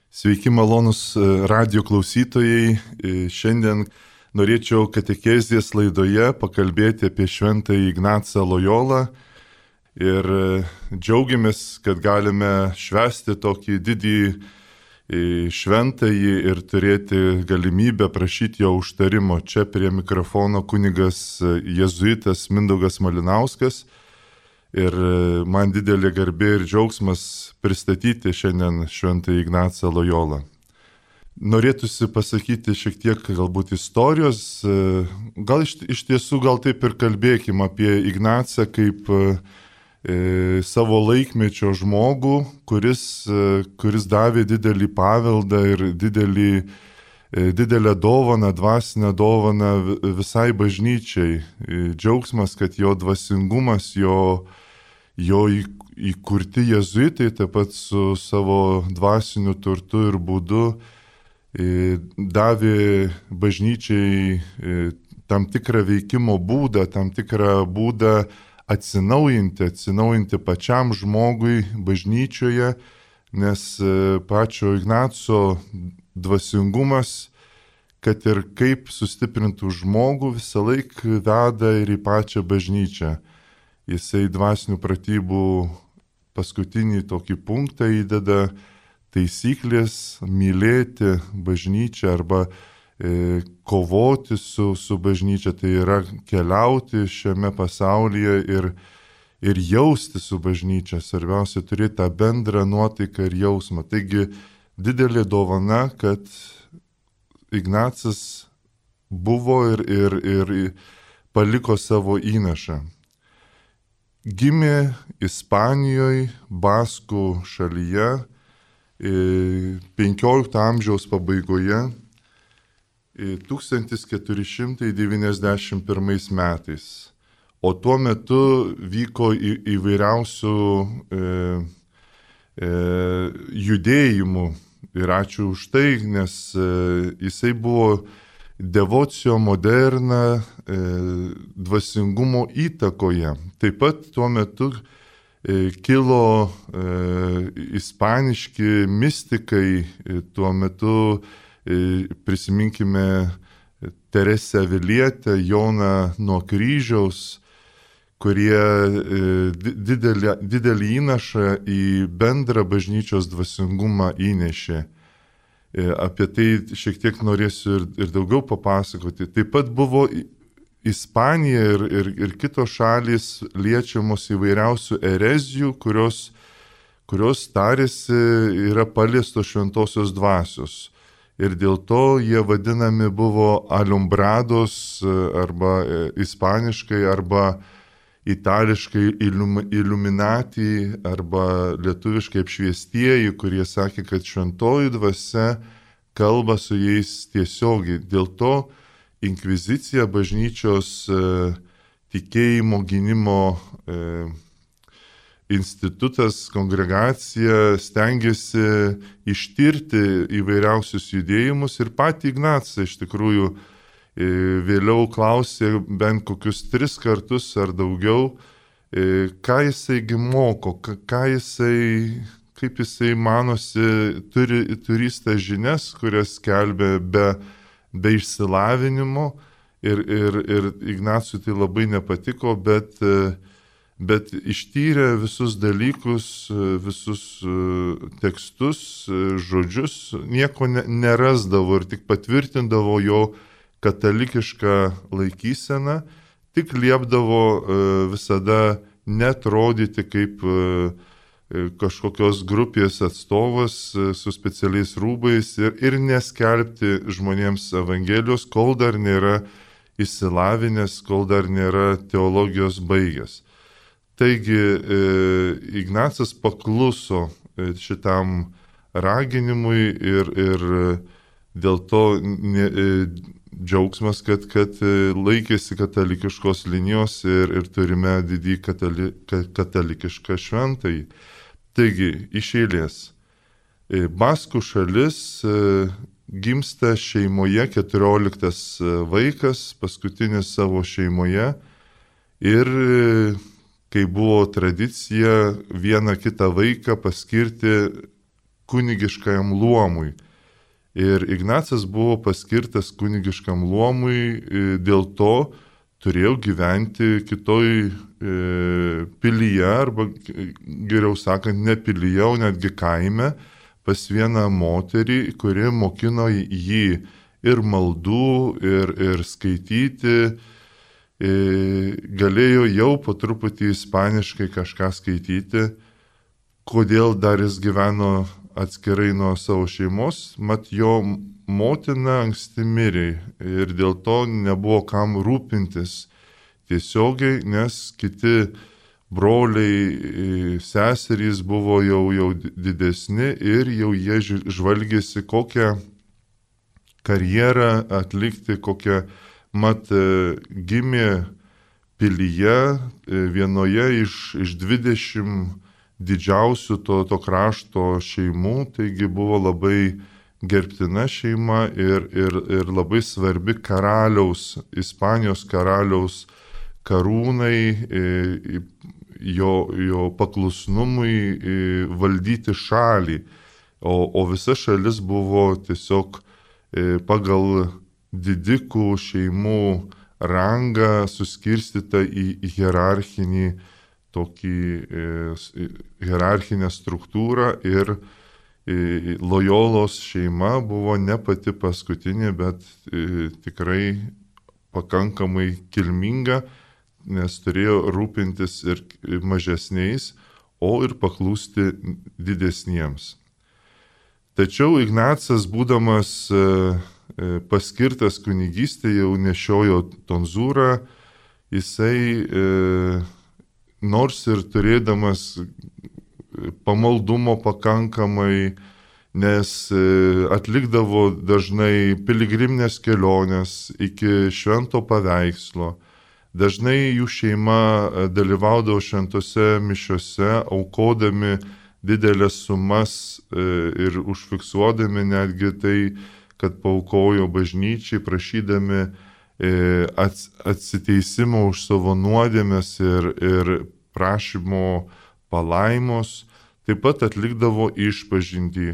Sveiki malonus radio klausytojai. Šiandien norėčiau katekezės laidoje pakalbėti apie šventąjį Ignacą Lojolą ir džiaugiamės, kad galime švęsti tokį didį šventąjį ir turėti galimybę prašyti jo užtarimo. Čia prie mikrofono kunigas jėzuitas Mindaugas Malinauskas. Ir man didelė garbė ir džiaugsmas pristatyti šiandien šventąjį Ignacą Lojolą. Norėtųsi pasakyti šiek tiek galbūt istorijos, gal iš tiesų gal taip ir kalbėkime apie Ignacą kaip savo laikmečio žmogų, kuris davė didelį paveldą ir didelę dovaną, dvasinę dovaną visai bažnyčiai. Džiaugsmas, kad jo dvasingumas, jo įkurti jėzuitai taip pat su savo dvasiniu turtu ir būdu davė bažnyčiai tam tikrą veikimo būdą, tam tikrą būdą atsinaujinti pačiam žmogui bažnyčioje, nes pačio Ignaco dvasingumas, kad ir kaip sustiprintų žmogų, visą laiką veda ir į pačią bažnyčią. Jisai dvasinių pratybų paskutinį tokį punktą įdeda taisyklės mylėti bažnyčią arba kovoti su bažnyčia, tai yra keliauti šiame pasaulyje ir jausti su bažnyčia. Svarbiausia turėti tą bendrą nuotaiką ir jausmą. Taigi didelė dovana, kad Ignacas buvo ir paliko savo įnašą. Gimė Ispanijoje, Baskų šalyje, 15 amžiaus pabaigoje, 1491 metais. O tuo metu vyko įvairiausių judėjimų. Ir ačiū už tai, nes jisai buvo devocio moderna dvasingumo įtakoje. Taip pat tuo metu kilo ispaniški mistikai, tuo metu prisiminkime Teresę Avilietę, Joną nuo kryžiaus, kurie didelį įnašą į bendrą bažnyčios dvasingumą įnešė. Apie tai šiek tiek norėsiu ir daugiau papasakoti. Taip pat buvo Ispanija ir kitos šalys liečiamos įvairiausių erezijų, kurios tarėsi yra paliestos šventosios dvasios. Ir dėl to jie vadinami buvo alumbrados arba ispaniškai arba itališkai illuminati arba lietuviškai apšviestieji, kurie sakė, kad šventoji dvasia kalba su jais tiesiogiai. Dėl to inkvizicija, bažnyčios tikėjimo gynimo institutas, kongregacija stengiasi ištirti įvairiausius judėjimus ir patį Ignacą iš tikrųjų vėliau klausė bent kokius 3 kartus ar daugiau, ką jisai moko, kaip jisai manosi, turys tas žinias, kurias skelbė be išsilavinimo ir Ignacui tai labai nepatiko, bet ištyrė visus dalykus, visus tekstus, žodžius, nieko nerasdavo ir tik patvirtindavo jo katalikišką laikyseną, tik liepdavo visada netrodyti kaip kažkokios grupės atstovas su specialiais rūbais ir neskelbti žmonėms evangelijos, kol dar nėra išsilavinęs, kol dar nėra teologijos baigęs. Taigi Ignacas pakluso šitam raginimui ir dėl to džiaugsmas, kad laikėsi katalikiškos linijos ir turime didį katalikišką šventąjį. Taigi, iš eilės. Baskų šalis gimsta šeimoje, 14 vaikas, paskutinis savo šeimoje ir kai buvo tradicija vieną kitą vaiką paskirti kunigiškajam luomui. Ir Ignacas buvo paskirtas kunigiškam luomui, dėl to turėjo gyventi kitoj pilyje, arba geriau sakant, ne pilyje, o netgi kaime, pas vieną moterį, kuri mokino jį ir maldų, ir skaityti, galėjo jau po truputį ispaniškai kažką skaityti. Kodėl dar jis gyveno atskirai nuo savo šeimos, mat jo motina anksti mirė ir dėl to nebuvo kam rūpintis tiesiogiai, nes kiti broliai, seserys buvo jau didesni ir jau jie žvalgėsi kokią karjerą atlikti, kokią mat gimė pilyje vienoje iš 20 didžiausių to krašto šeimų, taigi buvo labai gerbtina šeima ir labai svarbi Ispanijos karaliaus karūnai, jo paklusnumui valdyti šalį, o visa šalis buvo tiesiog pagal didikų šeimų rangą suskirstyta į hierarchinį tokį hierarchinę struktūrą ir Lojolos šeima buvo ne pati paskutinė, bet tikrai pakankamai kilminga, nes turėjo rūpintis ir mažesniais, o ir paklūsti didesniems. Tačiau Ignacas, būdamas paskirtas kunigystė, jau nešiojo tonzūrą, jisai nors ir turėdamas pamaldumo pakankamai, nes atlikdavo dažnai piligriminės keliones iki švento paveikslo, dažnai jų šeima dalyvaudavo šventose mišiose, aukodami didelės sumas ir užfiksuodami netgi tai, kad paaukojo bažnyčiai, prašydami atsiteisimo už savo nuodėmes ir prašymo palaimos, taip pat atlikdavo išpažintį.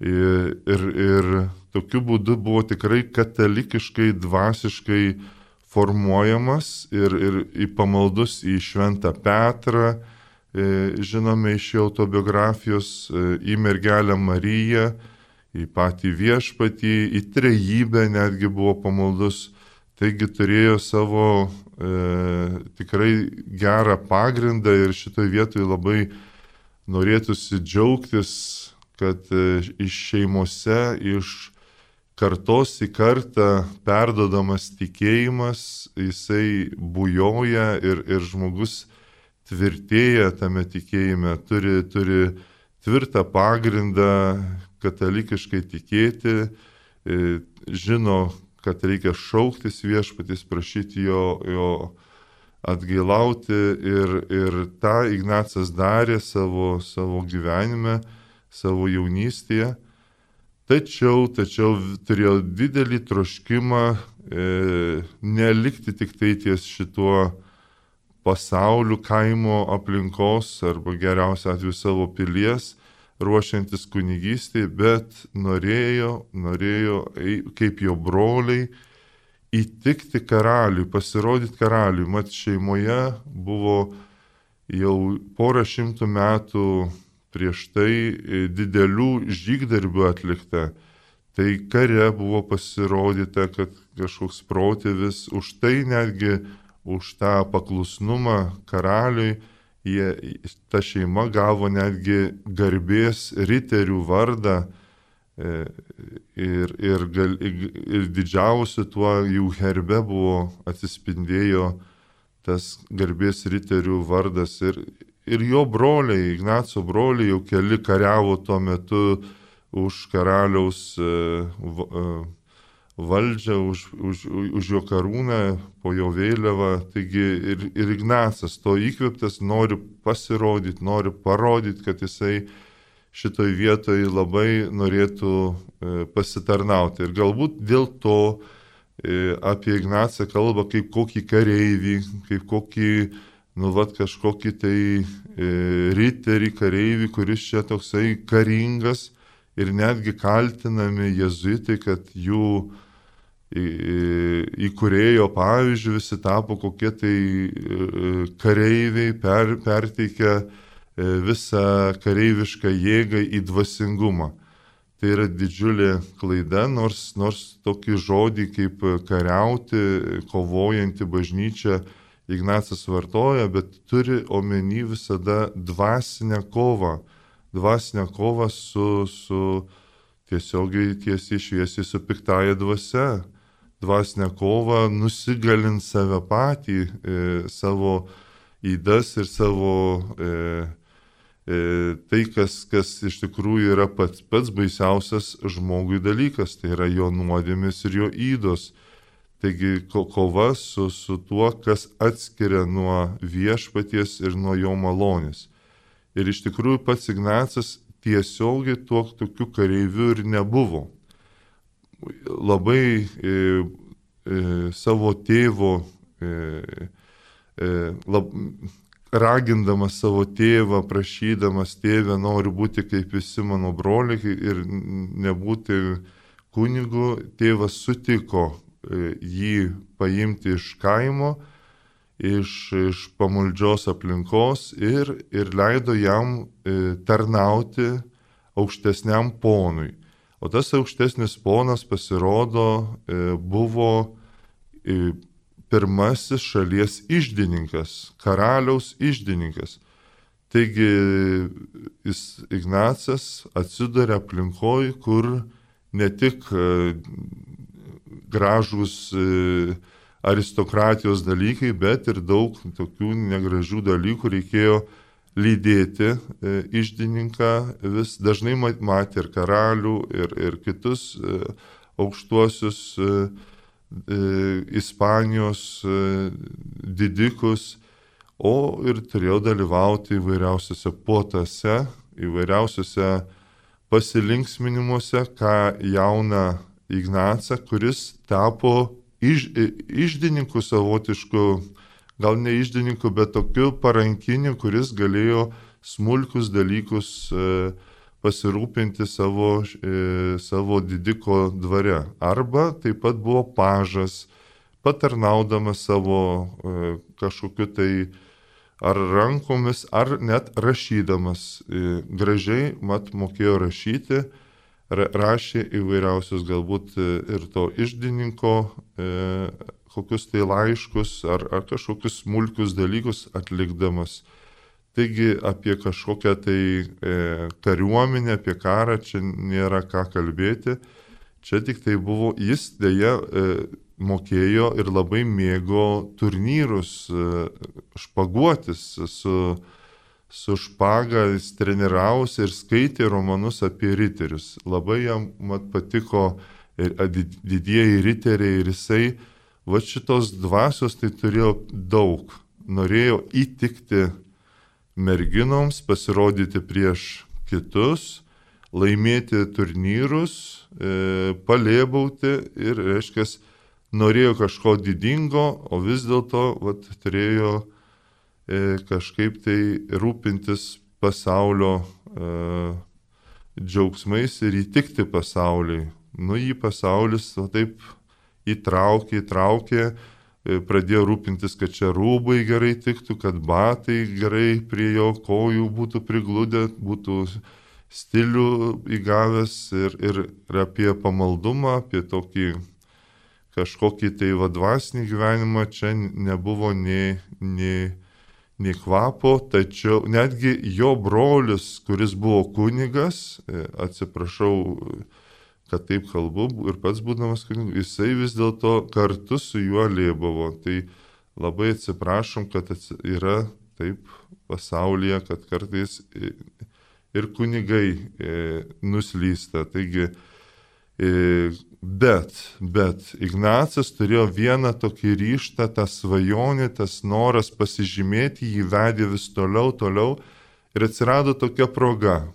Ir tokiu būdu buvo tikrai katalikiškai, dvasiškai formuojamas ir į pamaldus į Šventą Petrą, žinome iš jo autobiografijos, į mergelę Mariją, į patį viešpatį, į trejybę netgi buvo pamaldus. Taigi turėjo savo tikrai gerą pagrindą ir šitoje vietoje labai norėtųsi džiaugtis, kad iš šeimose, iš kartos į kartą perdodamas tikėjimas, jisai bujoja ir žmogus tvirtėja tame tikėjime, turi tvirtą pagrindą katalikiškai tikėti, žino, kad reikia šauktis viešpaties, prašyti jo atgailauti ir tą Ignacas darė savo gyvenime, savo jaunystėje. Tačiau turėjo didelį troškimą nelikti tik tai ties šituo pasauliu, kaimo aplinkos arba geriausiu atveju savo pilies, ruošiantis kunigystėje, bet norėjo, kaip jo broliai, įtikti karaliui, pasirodyti karaliui. Mat šeimoje buvo jau 100 metų prieš tai didelių žygdarbių atlikta. Tai kare buvo pasirodyta, kad kažkoks protėvis, už tai netgi už tą paklusnumą karaliui, ta šeima gavo netgi garbės riterių vardą ir didžiausiu tuo jų herbe buvo atsispindėjo tas garbės riterių vardas. Ir jo broliai, Ignaco broliai, jau keli kariavo tuo metu už karaliaus valdžią, už jo karūną, po jo vėliavą. Taigi ir Ignacas to įkvėptas nori pasirodyti, nori parodyti, kad jisai šitoj vietoj labai norėtų pasitarnauti. Ir galbūt dėl to apie Ignacą kalba kaip kokį kareivį, kaip kokį, kažkokį tai riterį, kareivį, kuris čia toksai karingas. ir netgi kaltinami jėzuitai, kad jų įkūrėjo pavyzdžių visi tapo kokie tai kareiviai, perteikia visą kareivišką jėgą į dvasingumą. Tai yra didžiulė klaida, nors tokį žodį kaip kariauti, kovojanti bažnyčia Ignacas vartoja, bet turi omeny visada dvasinę kovą. Dvasinę kovą su tiesiogiai tiesiai šviesiai su piktaja dvasia. Dvasinę kovą nusigalint save patį, savo įdas ir savo tai, kas iš tikrųjų yra pats baisiausias žmogui dalykas, tai yra jo nuodėmės ir jo įdos. Taigi kova su tuo, kas atskiria nuo viešpaties ir nuo jo malonės. Ir iš tikrųjų pats Ignacas tiesiogiai tokiu kareiviu ir nebuvo. Labai savo tėvo, ragindamas savo tėvą, prašydamas tėvę, noriu būti kaip visi mano broliai ir nebūti kunigu, tėvas sutiko jį paimti iš kaimo, iš pamaldžios aplinkos ir leido jam tarnauti aukštesniam ponui. O tas aukštesnis ponas pasirodo buvo pirmasis šalies iždininkas, karaliaus iždininkas. Taigi Ignacas atsiduria aplinkoje, kur ne tik gražūs aristokratijos dalykai, bet ir daug tokių negražių dalykų reikėjo lydėti iždininką. Vis dažnai matė ir karalių, ir kitus aukštuosius Ispanijos didikus, o ir turėjo dalyvauti įvairiausiose puotose, įvairiausiose pasilinksminimuose, ką jauną Ignacą, kuris tapo iždininku savotišku, gal ne iždininku, bet tokiu parankiniu, kuris galėjo smulkius dalykus pasirūpinti savo didiko dvare. Arba taip pat buvo pažas, patarnaudamas savo kažkokiu tai ar rankomis, ar net rašydamas. Gražiai mokėjo rašyti, rašė įvairiausius galbūt ir to iždininko kokius tai laiškus ar kažkokius smulkius dalykus atlikdamas. Taigi apie kažkokią tai kariuomenę, apie karą čia nėra ką kalbėti. Čia tik tai buvo, jis dėja mokėjo ir labai mėgo turnyrus, špaguotis su špaga, jis treniravosi ir skaitė romanus apie riterius. Labai jam patiko didieji riteriai ir jisai šitos dvasios tai turėjo daug. Norėjo įtikti merginoms, pasirodyti prieš kitus, laimėti turnyrus, palėbauti ir, reiškia, norėjo kažko didingo, o vis dėlto turėjo kažkaip tai rūpintis pasaulio džiaugsmais ir įtikti pasauliui. Jį pasaulis taip įtraukė, pradėjo rūpintis, kad čia rūbai gerai tiktų, kad batai gerai prie jo kojų būtų prigludę, būtų stilių įgavęs ir apie pamaldumą, apie tokį kažkokį tai dvasinį gyvenimą čia nebuvo nei kvapo, tačiau netgi jo brolis, kuris buvo kunigas, atsiprašau, kad taip kalbu, ir pats būdamas kunigu, jisai vis dėlto kartu su juo lėbavo. Tai labai atsiprašom, kad yra taip pasaulyje, kad kartais ir kunigai nuslysta. Taigi, bet Ignacas turėjo vieną tokį ryžtą, tą svajonę, tas noras pasižymėti, jį vedė vis toliau ir atsirado tokia proga.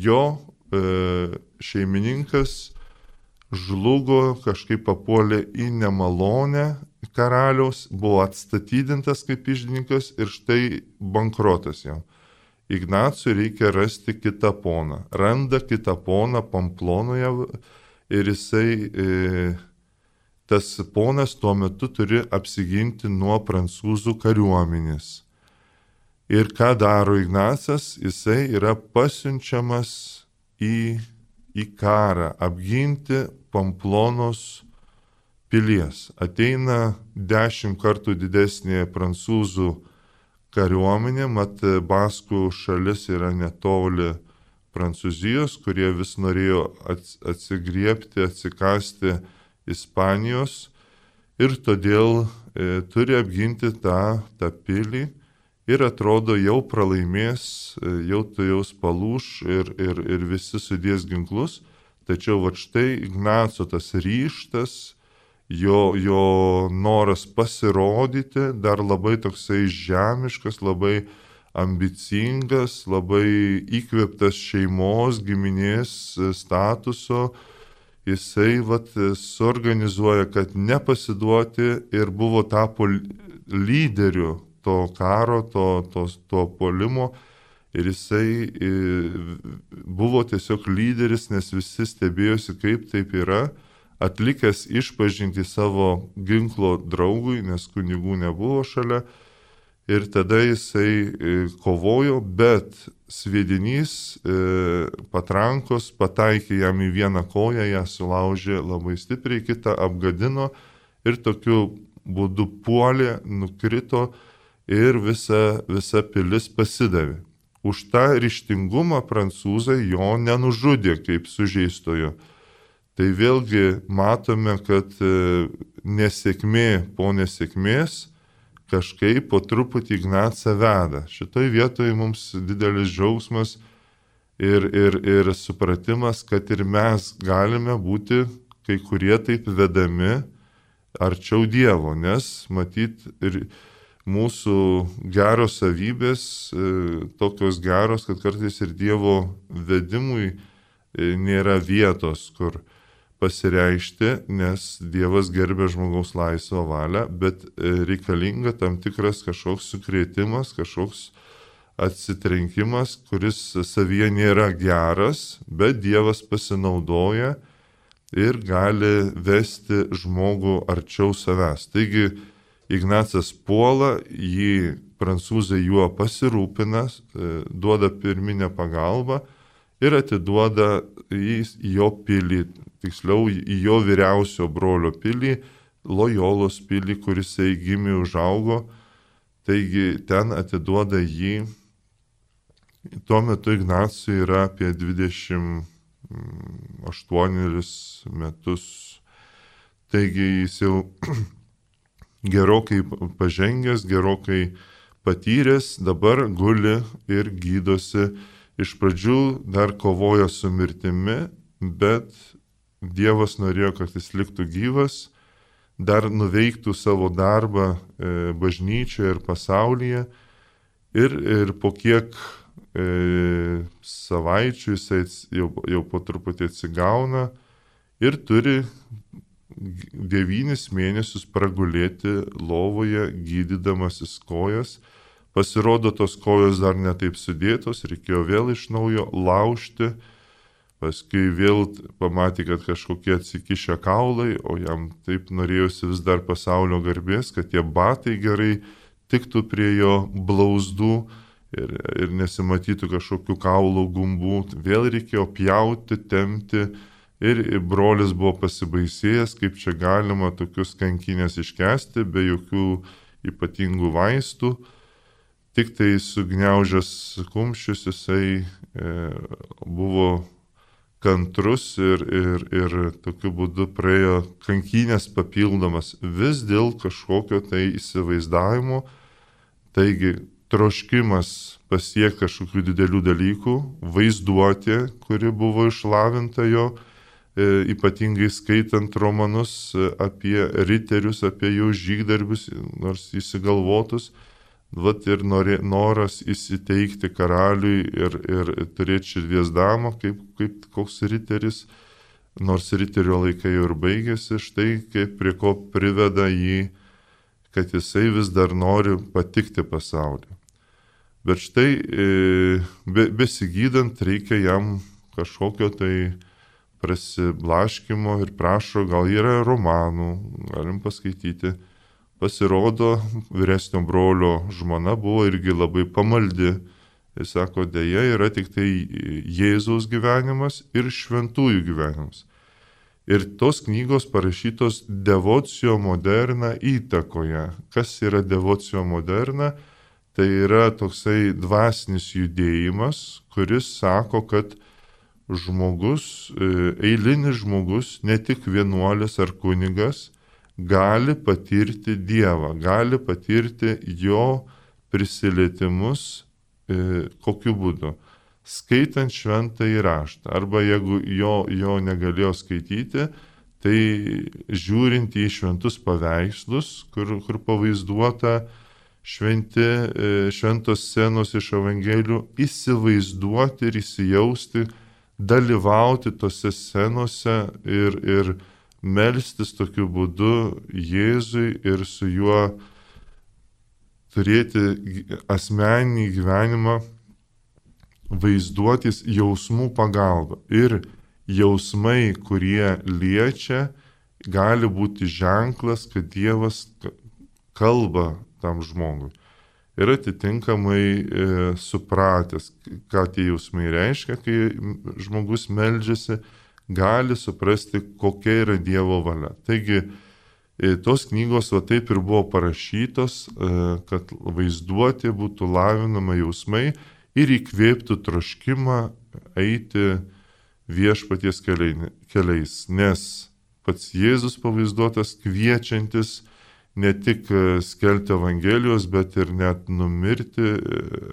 Jo šeimininkas žlugo, kažkaip papuolė į nemalonę karaliaus, buvo atstatydintas kaip iždininkas ir štai bankrotas jam. Ignacui reikia rasti kitą poną. Randa kitą poną Pamplonoje ir jisai, tas ponas tuo metu turi apsiginti nuo prancūzų kariuomenės. Ir ką daro Ignacas? Jisai yra pasiunčiamas į karą, apginti Pamplonos pilies. Ateina 10 kartų didesnė prancūzų kariuomenė, mat Baskų šalis yra netoli Prancūzijos, kurie vis norėjo atsigriepti, atsikasti Ispanijos ir todėl turi apginti tą pilį. Ir atrodo, jau pralaimės, jau tujaus palūš ir visi sudės ginklus. Tačiau va štai Ignaco tas ryžtas, jo noras pasirodyti, dar labai toksai žemiškas, labai ambicingas, labai įkvėptas šeimos, giminės statuso, jisai suorganizuoja, kad nepasiduoti ir tapo lyderiu to karo, to puolimo ir jisai buvo tiesiog lyderis, nes visi stebėjosi, kaip taip yra, atlikęs išpažinti savo ginklo draugui, nes kunigų nebuvo šalia ir tada jisai kovojo, bet sviedinys patrankos pataikė jam į vieną koją, ją sulaužė labai stipriai, kitą apgadino ir tokiu būdu puolė, nukrito ir visa pilis pasidavė. Už tą ryžtingumą prancūzai jo nenužudė kaip sužeistojo. Tai vėlgi matome, kad nesėkmė po nesėkmės kažkaip po truputį Ignacą veda. Šitoj vietoje mums didelis džiaugsmas ir supratimas, kad ir mes galime būti kai kurie taip vedami arčiau Dievo, nes matyt ir mūsų geros savybės tokios geros, kad kartais ir Dievo vedimui nėra vietos, kur pasireikšti, nes Dievas gerbia žmogaus laisvą valią, bet reikalinga tam tikras kažkoks sukrėtimas, kažkoks atsitrenkimas, kuris savyje nėra geras, bet Dievas pasinaudoja ir gali vesti žmogų arčiau savęs. Taigi Ignacas puola, jį prancūzai juo pasirūpina, duoda pirminę pagalbą ir atiduoda į jo pilį, tiksliau į jo vyriausio brolio pilį, Lojolos pilį, kuris gimė, užaugo. Taigi ten atiduoda jį. Tuo metu Ignacui yra apie 28 metus. Taigi jis jau gerokai pažengęs, gerokai patyręs, dabar guli ir gydosi. Iš pradžių dar kovojo su mirtimi, bet Dievas norėjo, kad jis liktų gyvas, dar nuveiktų savo darbą bažnyčioje ir pasaulyje. Ir po kiek savaičių jisai jau po truputį atsigauna ir turi 9 mėnesius pragulėti lovoje, gydydamasis kojas. Pasirodo, tos kojos dar netaip sudėtos, reikėjo vėl iš naujo laužti. Paskui vėl pamatė, kad kažkokie atsikišę kaulai, o jam taip norėjosi vis dar pasaulio garbės, kad tie batai gerai tiktų prie jo blauzdų ir nesimatytų kažkokių kaulų gumbų. Vėl reikėjo pjauti, tempti. Ir brolis buvo pasibaisėjęs, kaip čia galima tokius kankinės iškesti, be jokių ypatingų vaistų. Tik tai sugniaužęs kumščius jisai buvo kantrus ir tokiu būdu praėjo kankinės papildomas vis dėl kažkokio tai įsivaizdavimo. Taigi troškimas pasiekti kažkokių didelių dalykų, vaizduotė, kuri buvo išlavinta jo, ypatingai skaitant romanus apie riterius, apie jų žygdarbius, nors įsigalvotus, ir noras įsiteikti karaliui ir turėti širdies damą, kaip koks riteris, nors riterio laikai jau ir baigėsi, štai kaip prie ko priveda jį, kad jisai vis dar nori patikti pasauliu. Bet štai besigydant reikia jam kažkokio tai prasiblaškimo ir prašo, gal yra romanų, galim paskaityti. Pasirodo, vyresnio brolio žmona buvo irgi labai pamaldi. Jis sako, dėja yra tik tai Jėzaus gyvenimas ir šventųjų gyvenimas. Ir tos knygos parašytos devocio moderna įtakoje. Kas yra devocio moderna? Tai yra toksai dvasinis judėjimas, kuris sako, kad žmogus, eilinis žmogus, ne tik vienuolis ar kunigas, gali patirti Dievą, gali patirti jo prisilietimus, kokiu būdu. Skaitant šventąjį raštą, arba jeigu jo negalėjo skaityti, tai žiūrint į šventus paveikslus, kur pavaizduota šventos scenos iš Evangelijų, įsivaizduoti ir įsijausti, dalyvauti tose scenose ir melstis tokiu būdu Jėzui ir su juo turėti asmeninį gyvenimą, vaizduotis jausmų pagalba. Ir jausmai, kurie liečia, gali būti ženklas, kad Dievas kalba tam žmogui. Ir atitinkamai supratęs, ką tie jausmai reiškia, kai žmogus meldžiasi, gali suprasti, kokia yra Dievo valia. Taigi, tos knygos va taip ir buvo parašytos, kad vaizduotė būtų lavinama jausmai ir įkvėptų troškimą eiti viešpaties keliais. Nes pats Jėzus pavaizduotas kviečiantis ne tik skelbti Evangelijos, bet ir net numirti,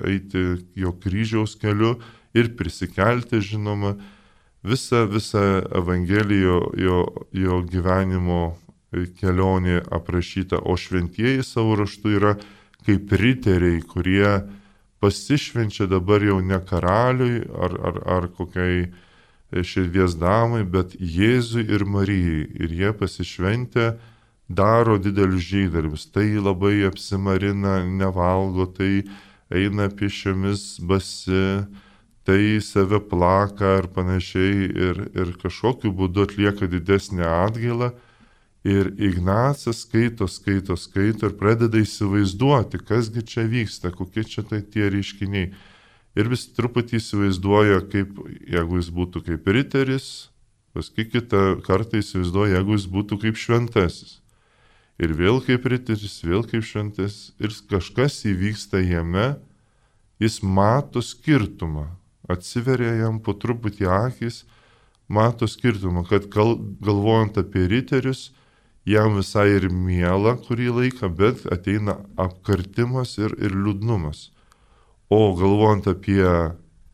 eiti jo kryžiaus keliu ir prisikelti, žinoma. Visa Evangelijo jo gyvenimo kelionė aprašyta, o šventieji savo raštu yra kaip riteriai, kurie pasišvenčia dabar jau ne karaliui ar kokiai širdies damai, bet Jėzui ir Marijai. Ir jie pasišventę daro didelius žygdarbius. Tai labai apsimarina, nevalgo, tai eina pėsčiomis basi, tai save plaka ir panašiai ir kažkokiu būdu atlieka didesnę atgailą. Ir Ignacas skaito ir pradeda įsivaizduoti, kasgi čia vyksta, kokie čia tai tie reiškiniai. Ir vis truputį įsivaizduoja, kaip, jeigu jis būtų kaip riteris, paskui kitą kartą įsivaizduoja, jeigu jis būtų kaip šventasis. Ir vėl kaip riteris, vėl kaip šventasis. Ir kažkas įvyksta jame, jis mato skirtumą. Atsiveria jam po truputį akis, mato skirtumą, kad galvojant apie riterius, jam visai ir miela kurį laiką, bet ateina apkartimas ir liūdnumas. O galvojant apie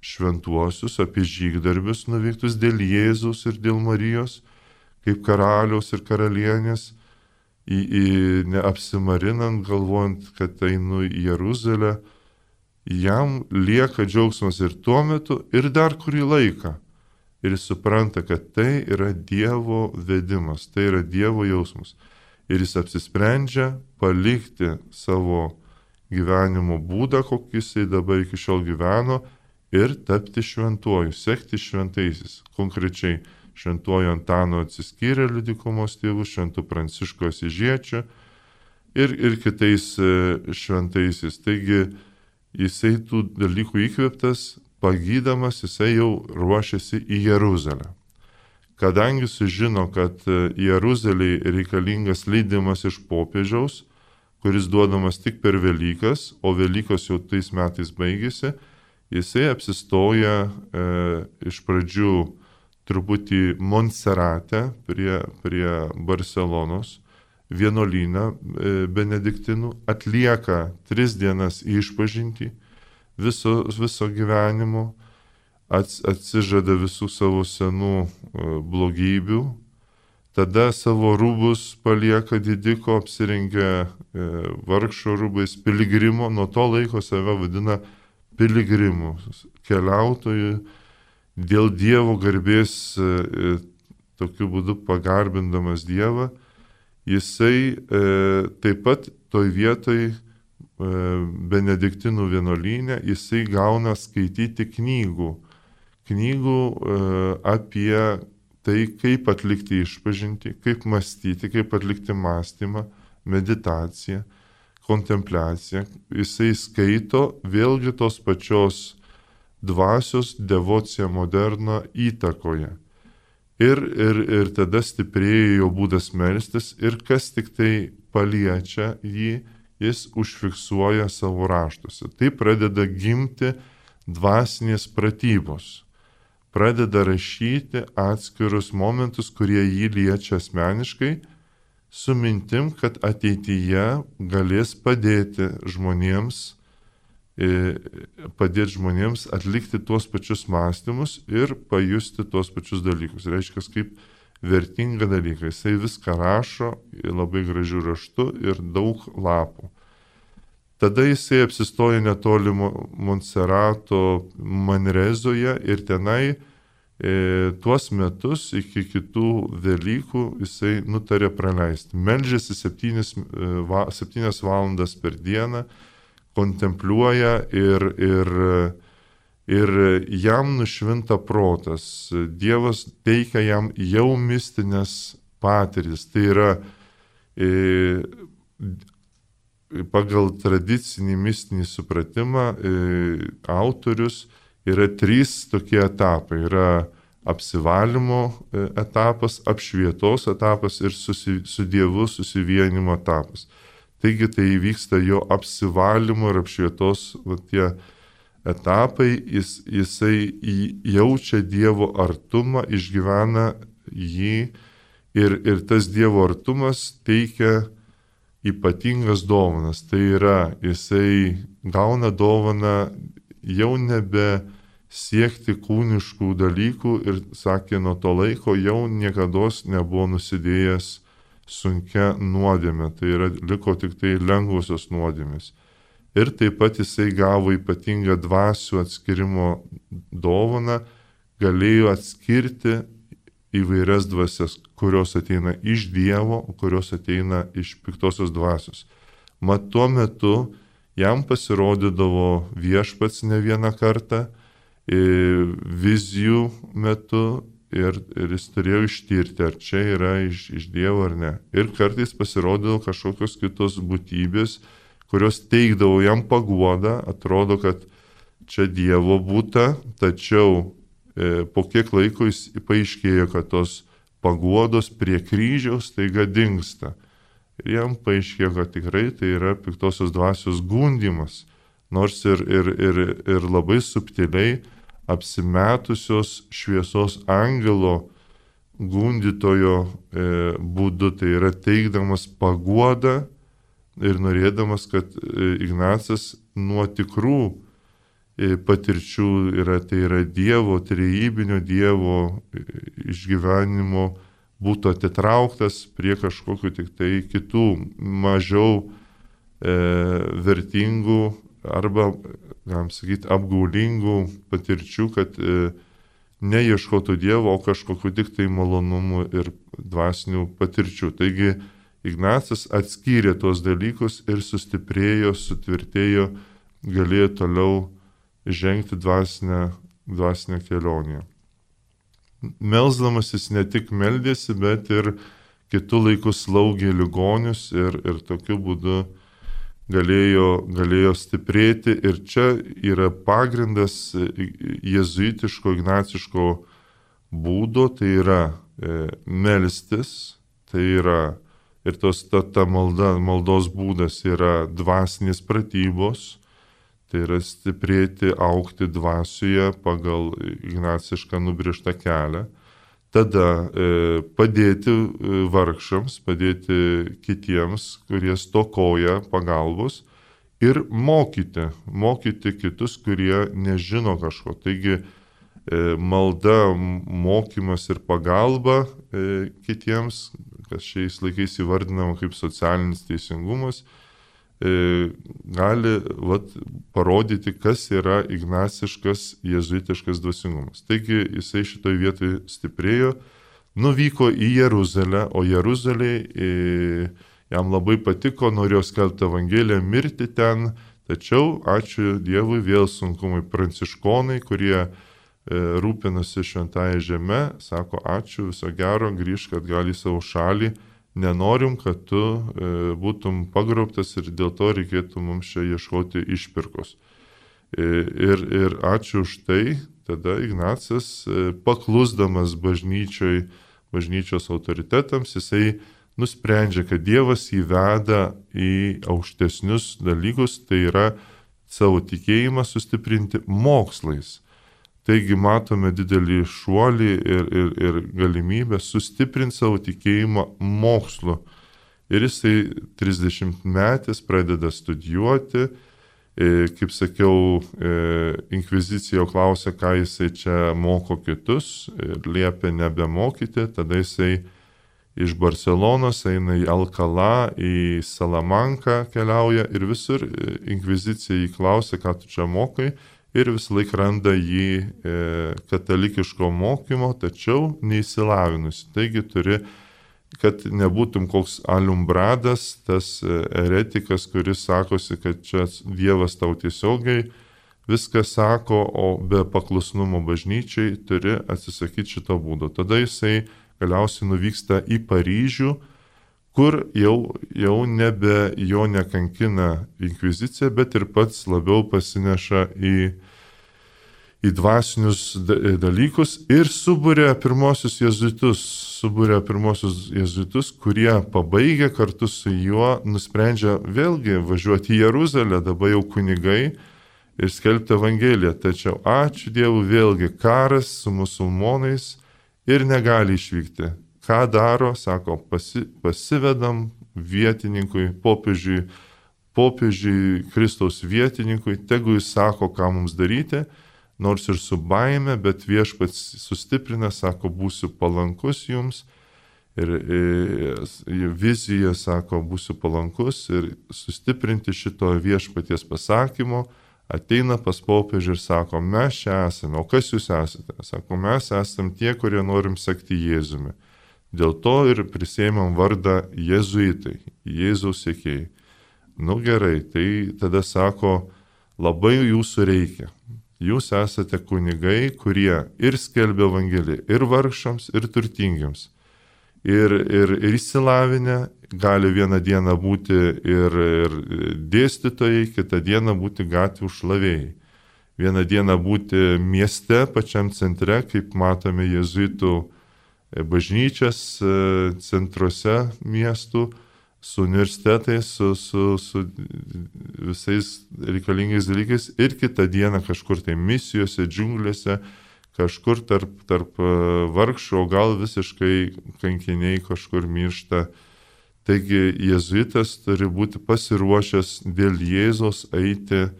šventuosius, apie žygdarbius nuveiktus dėl Jėzaus ir dėl Marijos, kaip karaliaus ir karalienės, neapsimarinant, galvojant, kad einu į Jeruzalę, jam lieka džiaugsmas ir tuo metu, ir dar kurį laiką. Ir jis supranta, kad tai yra Dievo vedimas, tai yra Dievo jausmas. Ir jis apsisprendžia palikti savo gyvenimo būdą, kokį jisai dabar iki šiol gyveno, ir tapti šventuoju, sekti šventaisiais. Konkrečiai šventuoju Antano Atsiskyrėliu dykumos tėvu, šventu Prancišku Asyžiečiu ir kitais šventaisiais. Taigi jisai tų dalykų įkvėptas, pagydamas, jisai jau ruošiasi į Jeruzalę. Kadangi sužino, kad Jeruzalei reikalingas leidimas iš popiežiaus, kuris duodamas tik per Velykas, o Velykos jau tais metais baigėsi, jisai apsistoja iš pradžių truputį Montserrate prie Barcelonos, vienuolyną benediktinų, atlieka 3 dienas išpažintį viso gyvenimo, atsižada visų savo senų blogybių, tada savo rūbus palieka didiko, apsirengia vargšo rūbais, piligrimo, nuo to laiko save vadina piligrimu, keliautoju, dėl Dievo garbės, tokiu būdu pagarbindamas Dievą. Jisai taip pat toj vietoj benediktinų vienuolyne, jisai gauna skaityti knygų apie tai, kaip atlikti išpažintį, kaip mąstyti, kaip atlikti mąstymą, meditaciją, kontempliaciją. Jisai skaito vėlgi tos pačios dvasios devocija moderna įtakoje. Ir tada stiprėja jo būdas melstis ir kas tik tai paliečia jį, jis užfiksuoja savo raštuose. Tai pradeda gimti dvasinės pratybos. Pradeda rašyti atskirus momentus, kurie jį liečia asmeniškai, su mintim, kad ateityje galės padėti žmonėms atlikti tuos pačius mąstymus ir pajusti tuos pačius dalykus. Reiškia, kaip vertinga dalykai. Jisai viską rašo labai gražiu raštu ir daug lapų. Tada jisai apsistoja netoli Monserrato Manrezoje ir tenai tuos metus iki kitų Velykų jisai nutarė praleisti. Meldžiasi 7 valandas per dieną, kontempliuoja ir jam nušvinta protas. Dievas teikia jam jau mistinės patirtis. Tai yra pagal tradicinį mistinį supratimą autorius yra 3 tokie etapai. Yra apsivalymo etapas, apšvietos etapas ir su Dievu susivienimo etapas. Taigi tai vyksta jo apsivalymo ir apšvietos tie etapai, jisai jaučia Dievo artumą, išgyvena jį ir tas Dievo artumas teikia ypatingas dovanas. Tai yra, jisai gauna dovaną jau nebe siekti kūniškų dalykų ir sakė, nuo to laiko jau niekados nebuvo nusidėjęs sunkia nuodėmė, tai yra liko tik tai lengvusios nuodėmės. Ir taip pat jisai gavo ypatingą dvasių atskirimo dovaną, galėjo atskirti įvairias dvasias, kurios ateina iš Dievo, kurios ateina iš piktosios dvasios. Mat tuo metu jam pasirodydavo Viešpats ne vieną kartą, vizijų metu, ir jis turėjo ištirti, ar čia yra iš Dievo ar ne. Ir kartais pasirodydavo kažkokios kitos būtybės, kurios teikdavo jam paguodą, atrodo, kad čia Dievo būta, tačiau po kiek laiko jis paaiškėjo, kad tos paguodos prie kryžiaus taiga dingsta. Ir jam paaiškėjo, kad tikrai tai yra piktosios dvasios gundymas, nors ir labai subtiliai apsimetusios šviesos angelo gundytojo būdu, tai yra teikdamas paguodą ir norėdamas, kad Ignacas nuo tikrų patirčių tai yra Dievo, trejybinio Dievo išgyvenimo būtų atitrauktas prie kažkokių tik tai kitų mažiau vertingų arba, galim sakyti, apgaulingų patirčių, kad neieškotų Dievo, o kažkokiu tik tai malonumų ir dvasinių patirčių. Taigi Ignacas atskyrė tuos dalykus ir sustiprėjo, sutvirtėjo, galėjo toliau žengti dvasinę kelionę. Melsdamas jis ne tik meldėsi, bet ir kitų laikų slaugė ligonius ir tokiu būdu galėjo stiprėti. Ir čia yra pagrindas jėzuitiško, ignaciško būdo, tai yra melstis, tai yra ir ta maldos būdas yra dvasinės pratybos, tai yra stiprėti, augti dvasioje pagal ignacišką nubrėžtą kelią. Tada padėti vargšams, padėti kitiems, kurie stokoja pagalbos ir mokyti kitus, kurie nežino kažko. Taigi malda, mokymas ir pagalba kitiems, kas šiais laikais įvardinama kaip socialinis teisingumas, gali parodyti, kas yra ignaciškas jėzuitiškas dvasingumas. Taigi jisai šitoj vietoj stiprėjo, nuvyko į Jeruzalę, o Jeruzalėje jam labai patiko, norėjo skelbti Evangeliją, mirti ten, tačiau ačiū Dievui vėl sunkumai pranciškonai, kurie rūpinasi šventąją žemę, sako ačiū, viso gero, grįžk atgal į savo šalį, nenorim, kad tu būtum pagrobtas ir dėl to reikėtų mums čia ieškoti išpirkos. Ir ačiū už tai, tada Ignacas, paklusdamas bažnyčios autoritetams, jisai nusprendžia, kad Dievas jį veda į aukštesnius dalykus, tai yra savo tikėjimą sustiprinti mokslais. Taigi matome didelį šuolį ir galimybę sustiprinti savo tikėjimą mokslu. Ir jisai 30 metais pradeda studijuoti. Kaip sakiau, inkvizicija klausė, ką jisai čia moko kitus ir liepia nebemokyti. Tada jisai iš Barcelonos eina į Alcalá, į Salamanką keliauja ir visur inkvizicija jį klausė, ką tu čia mokai. Ir vis laik randa jį katalikiško mokymo, tačiau neįsilavinusi. Taigi turi, kad nebūtum koks alumbradas, tas eretikas, kuris sakosi, kad čia Dievas tau tiesiogiai viską sako, o be paklusnumo bažnyčiai turi atsisakyti šito būdo. Tada jisai galiausiai nuvyksta į Paryžių, kur jau nebe jo nekankina inkvizicija, bet ir pats labiau pasineša į dvasinius dalykus ir suburia pirmosius jėzuitus, kurie pabaigę kartu su juo nusprendžia vėlgi važiuoti į Jeruzalę, dabar jau kunigai, ir skelbti Evangeliją. Tačiau ačiū Dievui vėlgi karas su musulmonais ir negali išvykti. Ką daro, sako, pasivedam vietininkui, popiežiui Kristaus vietininkui, tegu jis sako, ką mums daryti, nors ir su baime, bet viešpats sustiprina, sako, būsiu palankus jums, ir vizija, sako, būsiu palankus, ir sustiprinti šito viešpaties pasakymo, ateina pas popiežių ir sako, mes čia esame, o kas jūs esate? Sako, mes esame tie, kurie norim sekti Jėzumi. Dėl to ir prisėmėm vardą jėzuitai, Jėzaus sekėjai. Nu gerai, tai tada sako, labai jūsų reikia. Jūs esate kunigai, kurie ir skelbia Evangeliją, ir vargšams, ir turtingiams. Ir išsilavinę, gali vieną dieną būti ir dėstytojai, kitą dieną būti gatvių šlavėjai. Vieną dieną būti mieste, pačiam centre, kaip matome jėzuitų bažnyčias centruose miestų, su universitetais, su visais reikalingais dalykais, ir kitą dieną kažkur tai misijose, džiunglėse, kažkur tarp vargšų, o gal visiškai kankiniai kažkur miršta. Taigi jėzuitas turi būti pasiruošęs dėl Jėzaus eiti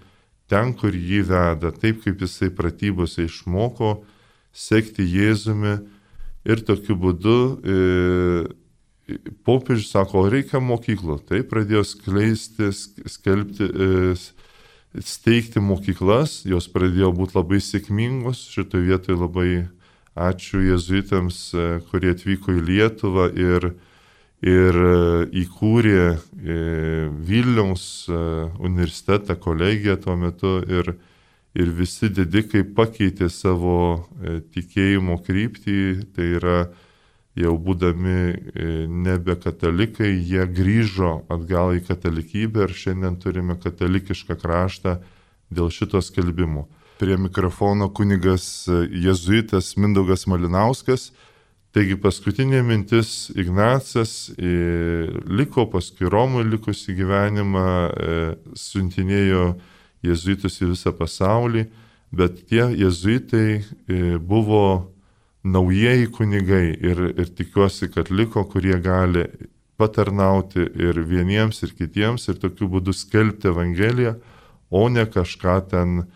ten, kur jį veda, taip kaip jisai pratybose išmoko, sekti Jėzumi. Ir tokiu būdu popiežius sako, reikia mokyklų. Tai pradėjo steigti mokyklas, jos pradėjo būti labai sėkmingos. Šitoje vietoje labai ačiū jėzuitams, kurie atvyko į Lietuvą ir įkūrė Vilniaus universitetą, kolegiją tuo metu. Ir visi didikai pakeitė savo tikėjimo kryptį, tai yra jau būdami nebe katalikai, jie grįžo atgal į katalikybę ir šiandien turime katalikišką kraštą dėl šito skelbimo. Prie mikrofono kunigas jėzuitas Mindaugas Malinauskas. Taigi paskutinė mintis, Ignacas liko paskui Romui likusį gyvenimą, siuntinėjo jėzuitus į visą pasaulį, bet tie jėzuitai buvo naujieji kunigai ir tikiuosi, kad liko, kurie gali patarnauti ir vieniems, ir kitiems, ir tokiu būdu skelbti Evangeliją, o ne kažką ten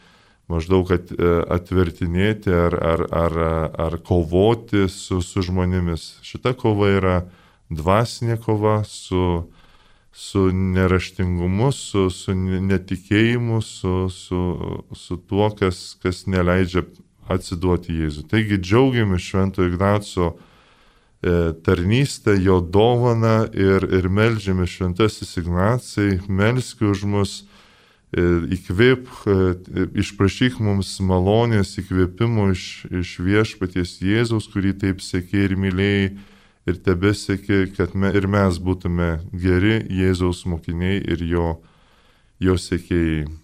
maždaug atvertinėti ar kovoti su žmonėmis. Šita kova yra dvasinė kova su neraštingumu, su netikėjimu, su tuo, kas neleidžia atsiduoti Jėzui. Taigi džiaugiamės Švento Ignaco tarnystę, jo dovaną ir meldžiame šventasis Ignacai, melski už mus, įkvėp, išprašyk mums malonės įkvėpimo iš viešpaties Jėzaus, kurį taip sekė ir mylėjai ir tebesekė, kad ir mes būtume geri Jėzaus mokiniai ir jo sekėjai.